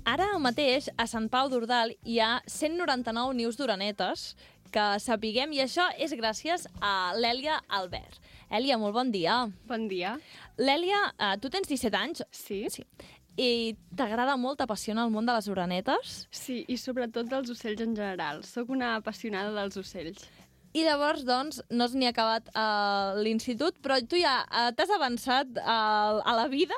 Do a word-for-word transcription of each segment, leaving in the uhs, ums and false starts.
Ara mateix a Sant Pau d'Ordal hi ha cent noranta-nou nius d'orenetes que sapiguem, i això és gràcies a l'Èlia Albert. Èlia, molt bon dia. Bon dia. L'Èlia, eh, tu tens disset anys. Sí. Sí. I t'agrada molt, t'apassiona el món de les orenetes? Sí, i sobretot dels ocells en general. Soc una apassionada dels ocells. I llavors, doncs, no has ni acabat uh, l'institut, però tu ja uh, t'has avançat uh, a la vida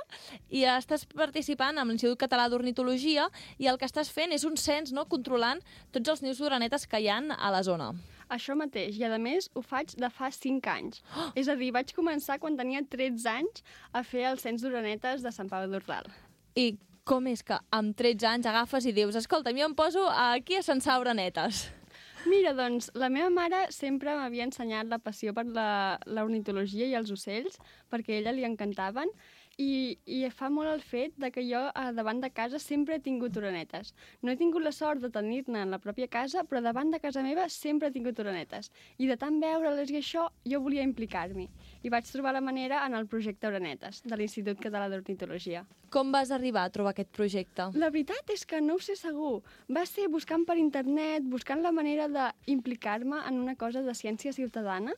i estàs participant amb l'Institut Català d'Ornitologia i el que estàs fent és un cens, no?, controlant tots els nius d'orenetes que hi ha a la zona. Això mateix, i a més ho faig de fa cinc anys. Oh! És a dir, vaig començar quan tenia tretze anys a fer el cens d'orenetes de Sant Pau d'Ordal. I com és que amb tretze anys agafes i dius, escolta, jo em poso aquí a censar orenetes? Mira, doncs, la meva mare sempre m'havia ensenyat la passió per l'ornitologia i els ocells, perquè a ella li encantaven, i, i fa molt el fet de que jo davant de casa sempre he tingut orenetes. No he tingut la sort de tenir-ne en la pròpia casa, però davant de casa meva sempre he tingut orenetes. I de tant veure-les i això, jo volia implicar-m'hi. I vaig trobar la manera en el projecte Orenetes, de l'Institut Català d'Ornitologia. Com vas arribar a trobar aquest projecte? La veritat és que no ho sé segur. Va ser buscant per internet, buscant la manera d'implicar-me en una cosa de ciència ciutadana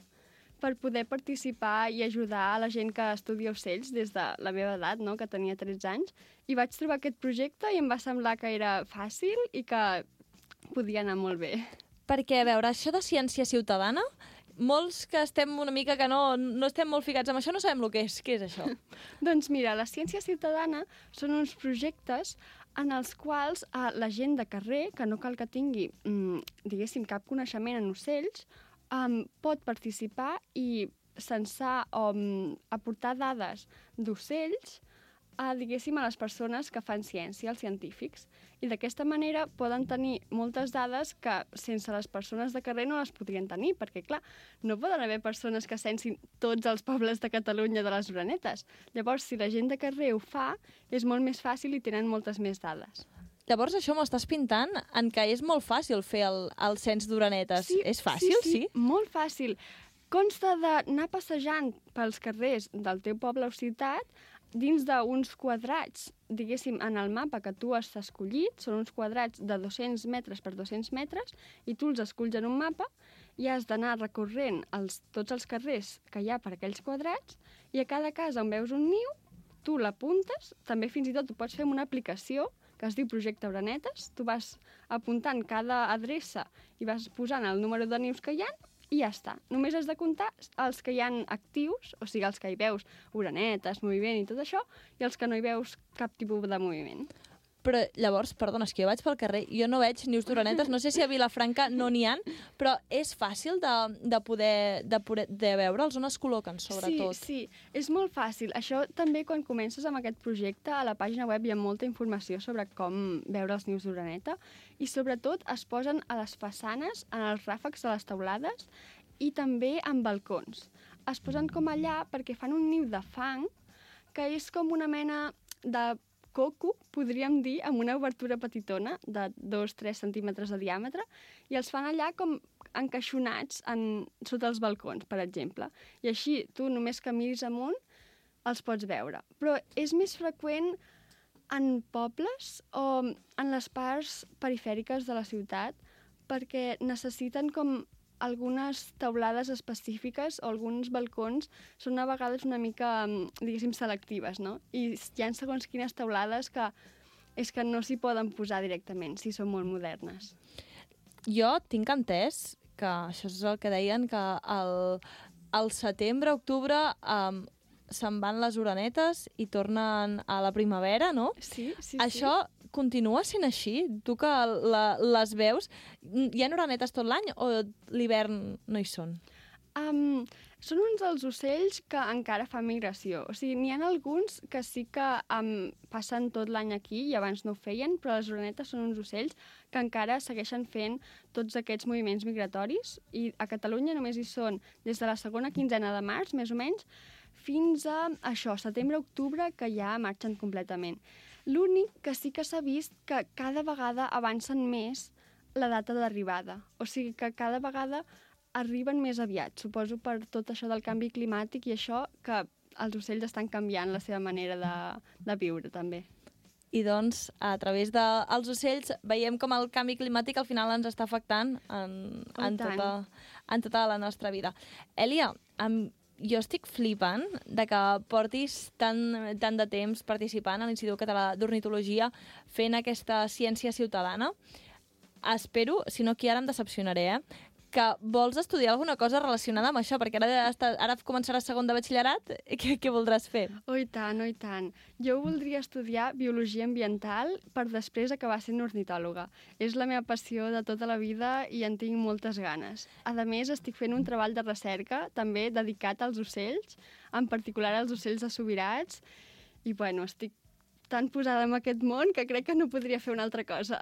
per poder participar i ajudar a la gent que estudia ocells des de la meva edat, no?, que tenia tretze anys, i vaig trobar aquest projecte i em va semblar que era fàcil i que podia anar molt bé. Perquè, a veure, això de ciència ciutadana, molts que estem una mica que no, no estem molt ficats amb això no sabem el que és. Què és això? Doncs mira, la ciència ciutadana són uns projectes en els quals eh, la gent de carrer, que no cal que tingui, mm, diguéssim, cap coneixement en ocells, um, pot participar i censar o um, aportar dades d'ocells a, diguéssim, a les persones que fan ciència, als científics. I d'aquesta manera poden tenir moltes dades que sense les persones de carrer no les podrien tenir, perquè, clar, no poden haver persones que censin tots els pobles de Catalunya de les orenetes. Llavors, si la gent de carrer ho fa, és molt més fàcil i tenen moltes més dades. Llavors això m'ho estàs pintant en que és molt fàcil fer el, el cens d'orenetes. Sí, és fàcil, sí, sí? Sí? Molt fàcil. Consta d'anar passejant pels carrers del teu poble o ciutat dins d'uns quadrats, diguéssim, en el mapa que tu has escollit. Són uns quadrats de dos-cents metres per dos-cents metres i tu els esculls en un mapa i has d'anar recorrent els, tots els carrers que hi ha per aquells quadrats i a cada casa on veus un niu, tu l'apuntes, també fins i tot ho pots fer amb una aplicació que es diu Projecte Orenetes. Tu vas apuntant cada adreça i vas posant el número de nius que hi ha i ja està. Només has de comptar els que hi ha actius, o sigui, els que hi veus orenetes, moviment i tot això, i els que no hi veus cap tipus de moviment. Però llavors, perdona, és que jo vaig pel carrer, jo no veig nius d'orenetes, no sé si a Vilafranca no n'hi ha, però és fàcil de, de poder de, poder, de veure'ls, on es col·loquen, sobretot. Sí, sí, és molt fàcil. Això també, quan comences amb aquest projecte, a la pàgina web hi ha molta informació sobre com veure els nius d'oreneta i, sobretot, es posen a les façanes, en els ràfecs de les teulades i també en balcons. Es posen com allà perquè fan un niu de fang que és com una mena de coco, podríem dir, amb una obertura petitona de dos a tres centímetres de diàmetre i els fan allà com encaixonats en, sota els balcons, per exemple. I així tu només que miris amunt els pots veure. Però és més freqüent en pobles o en les parts perifèriques de la ciutat perquè necessiten com algunes teulades específiques o alguns balcons són a vegades una mica, diguéssim, selectives, no? I hi ha segons quines teulades que és que no s'hi poden posar directament, si són molt modernes. Jo tinc entès que això és el que deien, que al, al setembre, octubre, um, se'n van les orenetes i tornen a la primavera, no? Sí, sí, Això sí. continua sent així? Tu que la, les veus, hi ha orenetes tot l'any o l'hivern no hi són? Um, són uns dels ocells que encara fan migració. O sigui, n'hi ha alguns que sí que um, passen tot l'any aquí i abans no ho feien, però les orenetes són uns ocells que encara segueixen fent tots aquests moviments migratoris i a Catalunya només hi són des de la segona quinzena de març, més o menys, fins a això, setembre-octubre, que ja marxen completament. L'únic que sí que s'ha vist que cada vegada avancen més la data d'arribada. O sigui que cada vegada arriben més aviat, suposo per tot això del canvi climàtic i això que els ocells estan canviant la seva manera de, de viure, també. I doncs, a través dels ocells, veiem com el canvi climàtic al final ens està afectant en, Oh, en, i tant. tota, en tota la nostra vida. Èlia, amb, jo estic flipant de que portis tant, tant de temps participant a l'Institut Català d'Ornitologia fent aquesta ciència ciutadana. Espero, si no aquí ara em decepcionaré, eh, que vols estudiar alguna cosa relacionada amb això, perquè ara, està, ara començaràs segon de batxillerat, què, què voldràs fer? Oh, i tant, oh, i tant. Jo voldria estudiar Biologia Ambiental per després acabar sent ornitòloga. És la meva passió de tota la vida i en tinc moltes ganes. A més, estic fent un treball de recerca, també dedicat als ocells, en particular als ocells de subirats, i bueno, estic tan posada en aquest món que crec que no podria fer una altra cosa.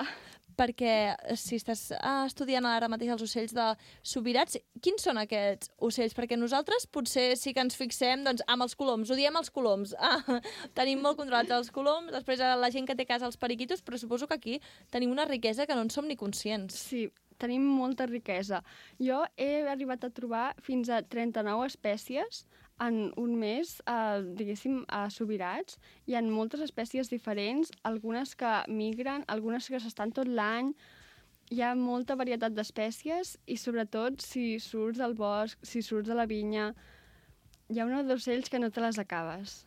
Perquè si estàs ah, estudiant ara mateix els ocells de subirats, quins són aquests ocells? Perquè nosaltres potser sí que ens fixem doncs, amb els coloms, ho diem els coloms. Ah, tenim molt controlats els coloms, després la gent que té a casa els periquitos, però suposo que aquí tenim una riquesa que no en som ni conscients. Sí, tenim molta riquesa. Jo he arribat a trobar fins a trenta-nou espècies en un mes, eh, diguéssim, a subirats. Hi ha moltes espècies diferents, algunes que migren, algunes que s'estan tot l'any. Hi ha molta varietat d'espècies i, sobretot, si surts del bosc, si surts de la vinya, hi ha una d'ocells que no te les acabes.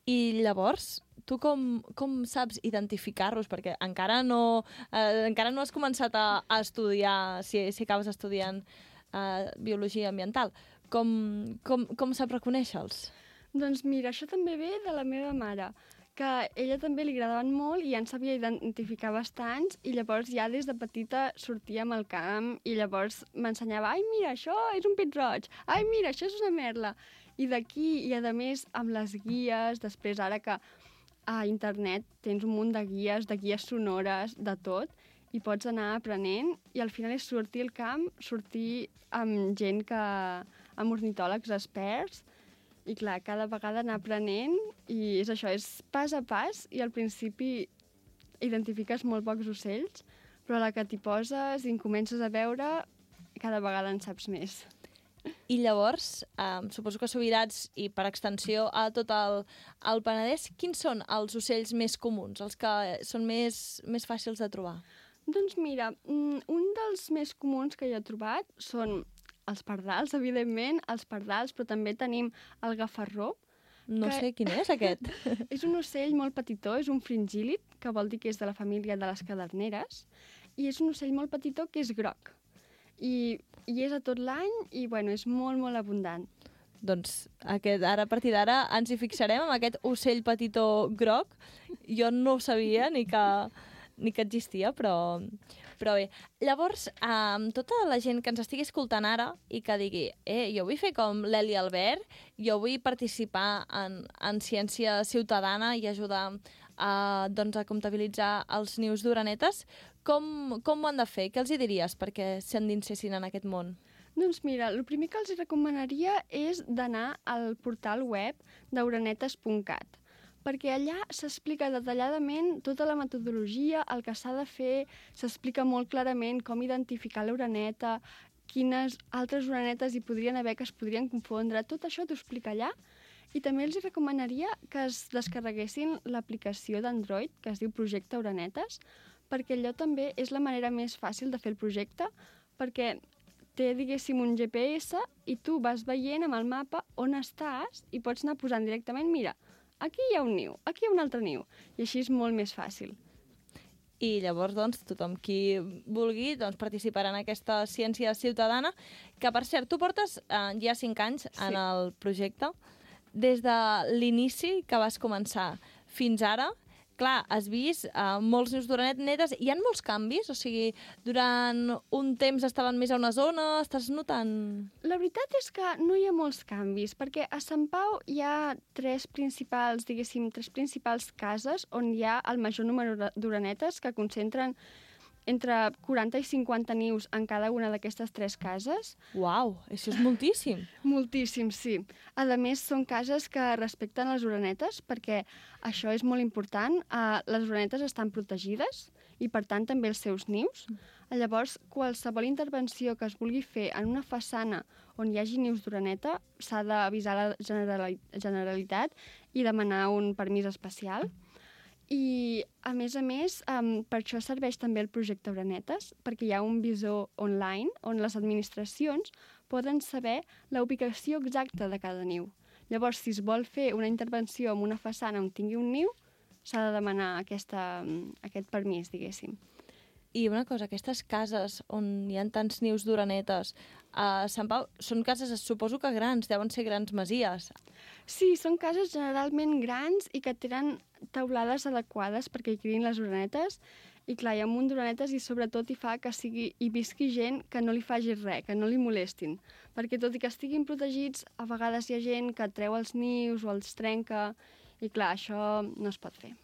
I llavors, tu com, com saps identificar-los? Perquè encara no, eh, encara no has començat a, a estudiar, si, si acabes estudiant eh, biologia ambiental. Com, com, com saps reconèixer-los? Doncs mira, això també ve de la meva mare, que a ella també li agradaven molt i ja en sabia identificar bastants, i llavors ja des de petita sortíem al camp i llavors m'ensenyava, ai, mira, això és un pit-roig, ai, mira, això és una merla. I d'aquí, i a més amb les guies, després ara que a internet tens un munt de guies, de guies sonores, de tot, i pots anar aprenent, i al final és sortir al camp, sortir amb gent que... amb ornitòlegs experts, i clar, cada vegada anar aprenent, i és això, és pas a pas, i al principi identifiques molt pocs ocells, però a la que t'hi poses i en comences a veure, cada vegada en saps més. I llavors, eh, suposo que Subirats i per extensió a tot el, el Penedès, quins són els ocells més comuns, els que són més, més fàcils de trobar? Doncs mira, un dels més comuns que jo he trobat són els pardals, evidentment, els pardals, però també tenim el gafarró. No que... sé quin és aquest. És un ocell molt petitó, és un fringílid, que vol dir que és de la família de les caderneres, i és un ocell molt petitó que és groc. I, i és a tot l'any i, bueno, és molt, molt abundant. Doncs aquest, ara, a partir d'ara ens hi fixarem amb aquest ocell petitó groc. Jo no ho sabia ni que, ni que existia, però... Però bé, llavors, amb tota la gent que ens estigui escoltant ara i que digui, eh, jo vull fer com l'Eli Albert, jo vull participar en, en ciència ciutadana i ajudar a, doncs, a comptabilitzar els nius d'orenetes, com, com ho han de fer? Què els hi diries perquè s'endinsessin en aquest món? Doncs mira, el primer que els recomanaria és d'anar al portal web d'orenetes punt cat, perquè allà s'explica detalladament tota la metodologia, el que s'ha de fer, s'explica molt clarament com identificar l'oreneta, quines altres orenetes hi podrien haver que es podrien confondre, tot això t'ho explica allà. I també els recomanaria que es descarreguessin l'aplicació d'Android, que es diu Projecte Orenetes, perquè allò també és la manera més fàcil de fer el projecte, perquè té, diguéssim, un G P S i tu vas veient amb el mapa on estàs i pots anar posant directament, mira, aquí hi ha un niu, aquí hi ha un altre niu, i així és molt més fàcil. I llavors, doncs, tothom qui vulgui doncs, participarà en aquesta ciència ciutadana, que, per cert, tu portes eh, ja cinc anys Sí. en el projecte. Des de l'inici que vas començar fins ara, clar, has vist uh, molts nius d'orenetes, hi ha molts canvis? O sigui, durant un temps estaven més a una zona, estàs notant... La veritat és que no hi ha molts canvis, perquè a Sant Pau hi ha tres principals, diguéssim, tres principals cases on hi ha el major número d'orenetes, que concentren entre quaranta i cinquanta nius en cada una d'aquestes tres cases. Uau, això és moltíssim. Moltíssim, sí. A més, són cases que respecten les orenetes, perquè això és molt important. Uh, les orenetes estan protegides i, per tant, també els seus nius. Llavors, qualsevol intervenció que es vulgui fer en una façana on hi hagi nius d'oreneta s'ha d'avisar la Generali- Generalitat i demanar un permís especial. I, a més a més, um, per això serveix també el projecte Orenetes, perquè hi ha un visor online on les administracions poden saber la ubicació exacta de cada niu. Llavors, si es vol fer una intervenció en una façana on tingui un niu, s'ha de demanar aquesta, aquest permís, diguéssim. I una cosa, aquestes cases on hi ha tants nius d'orenetes, a Sant Pau, són cases, suposo que grans, deuen ser grans masies. Sí, són cases generalment grans i que tenen teulades adequades perquè hi criïn les orenetes. I clar, hi ha un munt d'orenetes i sobretot hi fa que sigui, hi visqui gent que no li faci res, que no li molestin. Perquè tot i que estiguin protegits, a vegades hi ha gent que treu els nius o els trenca i clar, això no es pot fer.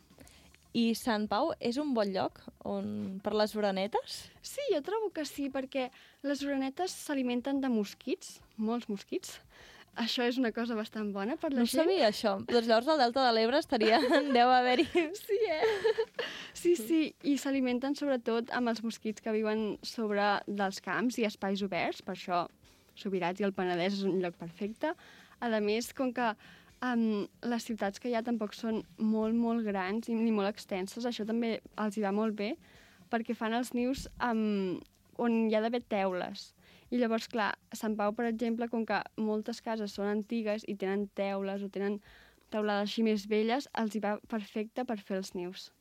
I Sant Pau és un bon lloc on... per les orenetes? Sí, jo trobo que sí, perquè les orenetes s'alimenten de mosquits, molts mosquits. Això és una cosa bastant bona per la no gent. No sabia això. Doncs llavors al Delta de l'Ebre estaria... deu haver-hi... Sí, eh? Sí, sí, i s'alimenten sobretot amb els mosquits que viuen sobre dels camps i espais oberts, per això Subirats i el Penedès és un lloc perfecte. A més, com que Um, les ciutats que hi ha tampoc són molt, molt grans i ni molt extenses, això també els hi va molt bé, perquè fan els nius um, on hi ha d'haver teules. I llavors, clar, a Sant Pau, per exemple, com que moltes cases són antigues i tenen teules o tenen teulades així més velles, els hi va perfecte per fer els nius.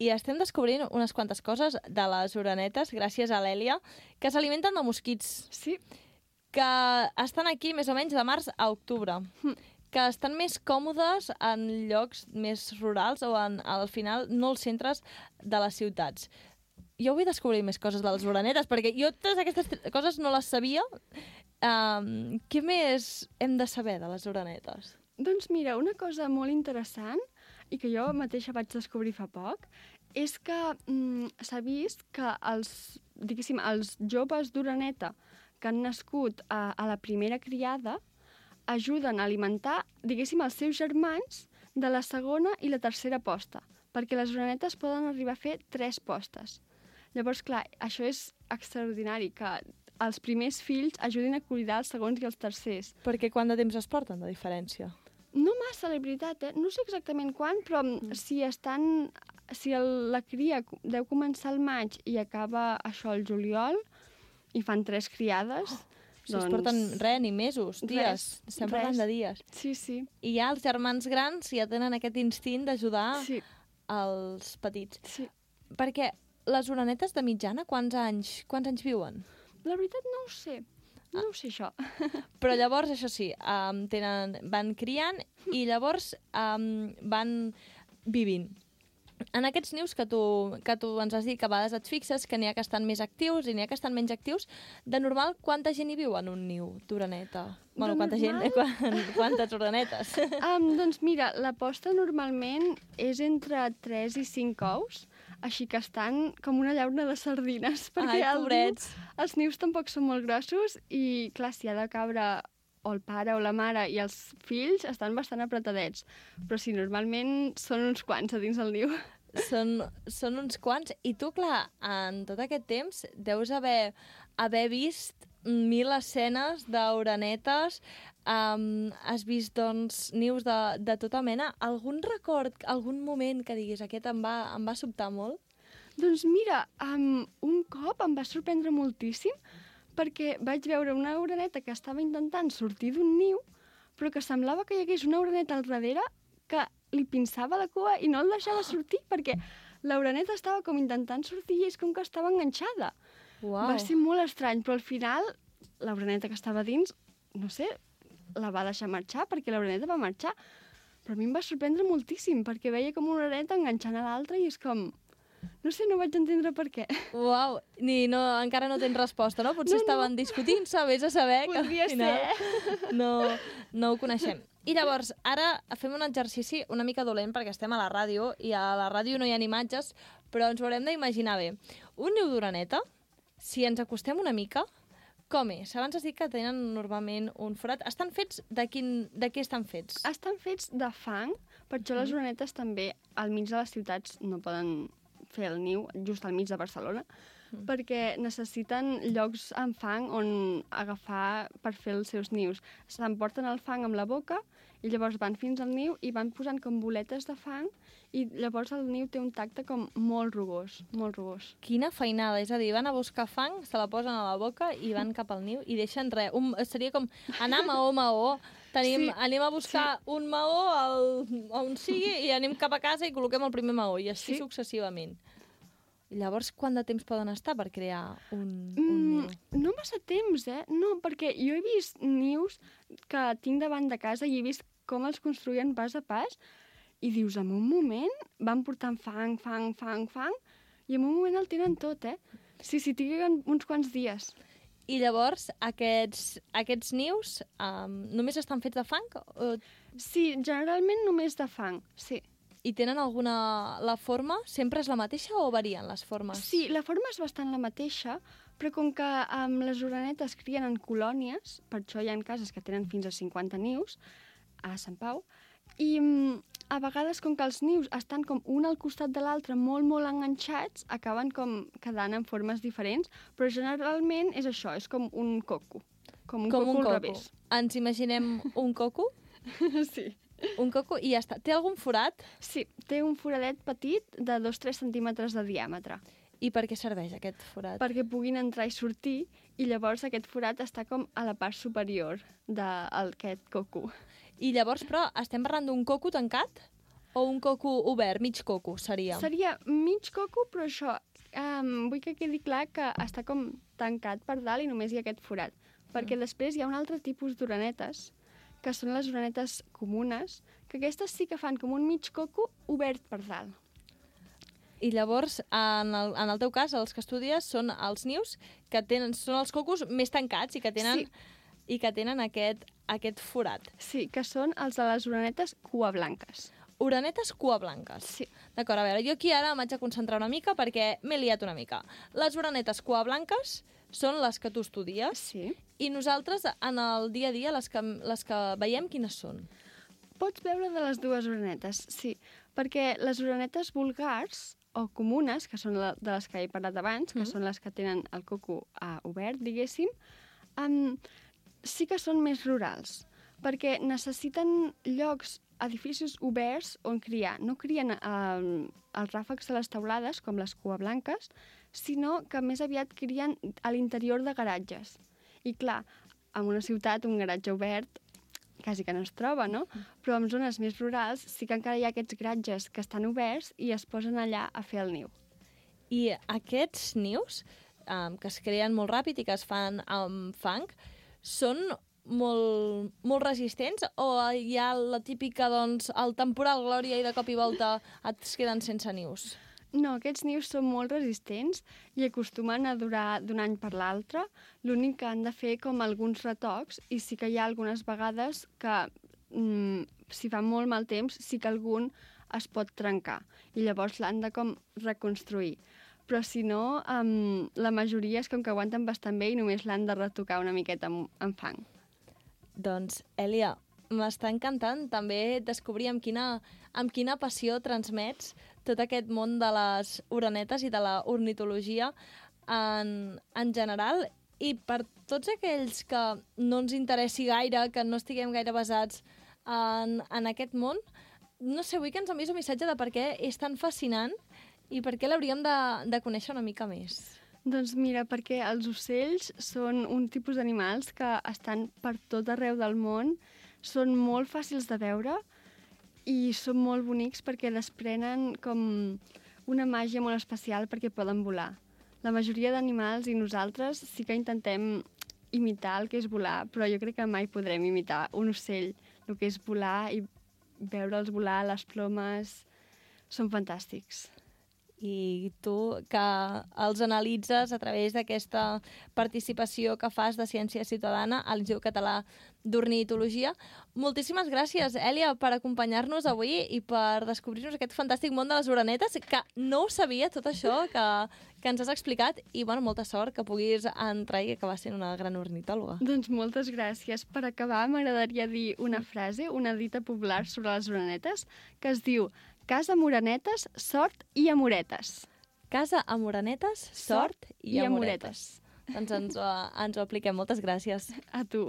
I estem descobrint unes quantes coses de les orenetes, gràcies a l'Èlia, que s'alimenten de mosquits. Sí. Que estan aquí més o menys de març a octubre. Mm. Que estan més còmodes en llocs més rurals o en, al final, no els centres de les ciutats. Jo vull descobrir més coses de les orenetes, perquè jo totes aquestes coses no les sabia. Um, què més hem de saber de les orenetes? Doncs mira, una cosa molt interessant, i que jo mateixa vaig descobrir fa poc, és que mm, s'ha vist que els, diguéssim, els joves d'oreneta que han nascut a, a la primera criada ajuden a alimentar, diguéssim, els seus germans de la segona i la tercera posta, perquè les orenetes poden arribar a fer tres postes. Llavors, clar, això és extraordinari, que els primers fills ajudin a cuidar els segons i els tercers. Perquè quant de temps es porten, de diferència? No massa, la veritat, eh? No sé exactament quan, però mm. si estan... Si el, la cria deu començar al maig i acaba això al juliol, i fan tres criades... Oh. Si doncs... es porten res, ni mesos, dies. Res, Estem res. parlant de dies. Sí, sí. I ja els germans grans ja tenen aquest instint d'ajudar sí. els petits. Sí. Perquè les orenetes de mitjana, quants anys, quants anys viuen? La veritat no ho sé. No ah. ho sé, això. Però llavors, això sí, um, tenen, van criant i llavors um, van vivint. En aquests nius que tu, que tu ens has dit que a vegades et fixes que n'hi ha que estan més actius i n'hi ha que estan menys actius, de normal, quanta gent hi viu en un niu d'oreneta? Bueno, quanta normal... gent, quan, quantes orenetes? Um, doncs mira, la posta normalment és entre tres i cinc ous, així que estan com una llauna de sardines, perquè Ai, pobrets. Niu, els nius tampoc són molt grossos i, clar, si ha de cabre o el pare o la mare i els fills estan bastant apretadets. Però sí, normalment són uns quants a dins del niu. Són, són uns quants. I tu, clar, en tot aquest temps deus haver, haver vist mil escenes d'orenetes, um, has vist, doncs, nius de, de tota mena. Algun record, algun moment que diguis aquest em va, em va sobtar molt? Doncs mira, um, un cop em va sorprendre moltíssim perquè vaig veure una oreneta que estava intentant sortir d'un niu, però que semblava que hi hagués una oreneta al darrere que li pinçava la cua i no el deixava sortir, perquè l'oreneta estava com intentant sortir i és com que estava enganxada. Wow. Va ser molt estrany, però al final l'oreneta que estava dins, no sé, la va deixar marxar perquè l'oreneta va marxar. Però a mi em va sorprendre moltíssim, perquè veia com una oreneta enganxant a l'altra i és com... No sé, no vaig entendre per què. Uau, ni, no, encara no tens resposta, no? Potser no, no. estaven discutint-se, vés a saber Podria que al final ser. no, no ho coneixem. I llavors, ara fem un exercici una mica dolent perquè estem a la ràdio i a la ràdio no hi ha imatges, però ens ho haurem d'imaginar bé. Un niu d'oreneta, si ens acostem una mica, com és? Abans has dit que tenen normalment un forat. Estan fets de, quin, de què estan fets? Estan fets de fang, per això les orenetes també al mig de les ciutats no poden fer el niu just al mig de Barcelona, mm. perquè necessiten llocs amb fang on agafar per fer els seus nius. S'emporten el fang amb la boca i llavors van fins al niu i van posant com boletes de fang i llavors el niu té un tacte com molt rugós, molt rugós. Quina feinada, és a dir, van a buscar fang, se la posen a la boca i van cap al niu i deixen res. Un, seria com anar maó, maó. Tenim, sí, anem a buscar sí. un maó al, on sigui i anem cap a casa i col·loquem el primer maó i així sí. successivament. Llavors, quant de temps poden estar per crear un, un niu? Mm, no massa temps, eh? No, perquè jo he vist nius que tinc davant de casa i he vist com els construïen pas a pas i dius, en un moment van portant fang, fang, fang, fang i en un moment el tenen tot, eh? Sí, sí, tinguin uns quants dies. I llavors, aquests, aquests nius um, només estan fets de fang? O... Sí, generalment només de fang, sí. I tenen alguna... La forma sempre és la mateixa o varien les formes? Sí, la forma és bastant la mateixa, però com que um, les orenetes crien en colònies, per això hi ha cases que tenen fins a cinquanta nius, a Sant Pau, i um, a vegades com que els nius estan com un al costat de l'altre molt, molt enganxats, acaben com quedant en formes diferents, però generalment és això, és com un coco, com un com coco un al coco. revés. Ens imaginem un coco? Sí. Un coco i ja està. Té algun forat? Sí, té un foradet petit de dos a tres centímetres de diàmetre. I per què serveix aquest forat? Perquè puguin entrar i sortir, i llavors aquest forat està com a la part superior d'aquest coco. I llavors, però, estem parlant d'un coco tancat? O un coco obert, mig coco, seria? Seria mig coco, però això, um, vull que quedi clar que està com tancat per dalt i només hi ha aquest forat. Perquè mm. després hi ha un altre tipus d'orenetes, que són les orenetes comunes, que aquestes sí que fan com un mig coco obert per dalt. I llavors, en el, en el teu cas, els que estudies són els nius, que tenen, són els cocos més tancats i que tenen, sí. i que tenen aquest, aquest forat. Sí, que són els de les orenetes cua blanques. Orenetes cua blanques. Sí. D'acord, a veure, jo aquí ara m'haig de concentrar una mica perquè m'he liat una mica. Les orenetes cua blanques són les que tu estudies. Sí. I nosaltres, en el dia a dia, les que, les que veiem, quines són? Pots veure de les dues orenetes, sí. Perquè les orenetes vulgars o comunes, que són la, de les que he parlat abans, que mm. són les que tenen el coco uh, obert, diguéssim, um, sí que són més rurals, perquè necessiten llocs, edificis oberts on criar. No crien uh, els ràfecs de les teulades, com les cua blanques, sinó que més aviat crien a l'interior de garatges. I clar, en una ciutat un garatge obert quasi que no es troba, no? Però en zones més rurals sí que encara hi ha aquests garatges que estan oberts i es posen allà a fer el niu. I aquests nius, um, que es creen molt ràpid i que es fan amb fang, són molt, molt resistents o hi ha la típica, doncs, el temporal glòria i de cop i volta et queden sense nius? No, aquests nius són molt resistents i acostumen a durar d'un any per l'altre. L'únic que han de fer com alguns retocs i sí que hi ha algunes vegades que, mm, si fa molt mal temps, sí que algun es pot trencar i llavors l'han de com reconstruir. Però si no, um, la majoria és com que aguanten bastant bé i només l'han de retocar una miqueta amb, amb fang. Doncs, Èlia, m'està encantant també descobrir amb quina, amb quina passió transmets tot aquest món de les orenetes i de la ornitologia en, en general. I per tots aquells que no ens interessi gaire, que no estiguem gaire basats en, en aquest món, no sé, vull que ens enviïs un missatge de per què és tan fascinant i per què l'hauríem de, de conèixer una mica més. Doncs mira, perquè els ocells són un tipus d'animals que estan per tot arreu del món, són molt fàcils de veure i són molt bonics perquè desprenen com una màgia molt especial perquè poden volar. La majoria d'animals i nosaltres sí que intentem imitar el que és volar, però jo crec que mai podrem imitar un ocell, el que és volar i veure'ls volar, les plomes, són fantàstics. I tu, que els analitzes a través d'aquesta participació que fas de Ciència Ciutadana a l'Institut Català d'Ornitologia. Moltíssimes gràcies, Èlia, per acompanyar-nos avui i per descobrir-nos aquest fantàstic món de les orenetes, que no ho sabia, tot això que, que ens has explicat, i bueno, molta sort que puguis entrar i acabar sent una gran ornitòloga. Doncs moltes gràcies. Per acabar, m'agradaria dir una frase, una dita popular sobre les orenetes, que es diu: casa amb orenetes, sort i amoretes. Casa amorenetes, sort i, i amoretes. amoretes. Doncs ens ho, ens ho apliquem. Moltes gràcies. A tu.